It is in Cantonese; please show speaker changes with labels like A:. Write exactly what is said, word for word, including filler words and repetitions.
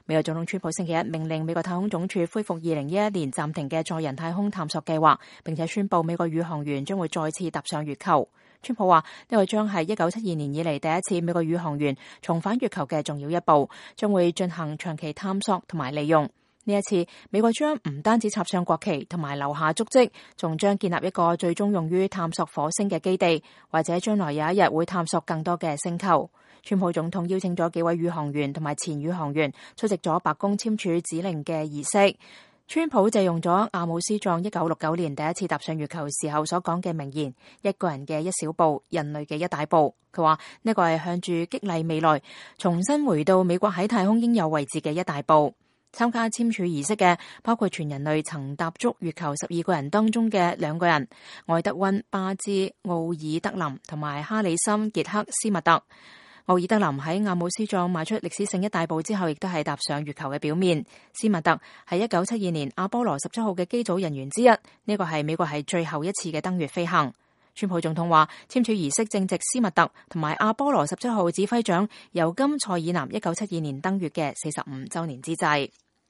A: 美國總統川普星期一命令美國太空總署恢復二零一一年暫停嘅載人太空探索計劃，並且宣布美國宇航員將會再次踏上月球。川普話呢個將係一九七二年以嚟第一次美國宇航員重返月球嘅重要一步，將會進行長期探索同埋利用。呢一次，美國將唔單止插上國旗同埋留下足跡，仲將建立一個最終用於探索火星嘅基地，或者將來有一日會探索更多嘅星球。川普總統邀請咗幾位宇航員同埋前宇航員出席咗白宮簽署指令嘅儀式。川普借用咗阿姆斯壯一九六九年第一次踏上月球時候所講嘅名言：一個人嘅一小步，人類嘅一大步。佢話呢個係向住激勵未來，重新回到美國喺太空應有位置嘅一大步。參加簽署儀式嘅包括全人類曾踏足月球十二個人當中嘅兩個人：愛德溫·巴茲·奧爾德林同埋哈里森·傑克斯密特。奧爾德林喺阿姆斯壯邁出歷史性一大步之後，亦都係踏上月球嘅表面。斯密特係一九七二年阿波羅十七號嘅機組人員之一，呢個係美國係最後一次嘅登月飛行。川普總統話，簽署儀式正值斯密特同埋阿波羅十七號指揮長尤金·塞爾南一九七二年登月嘅四十五週年之際。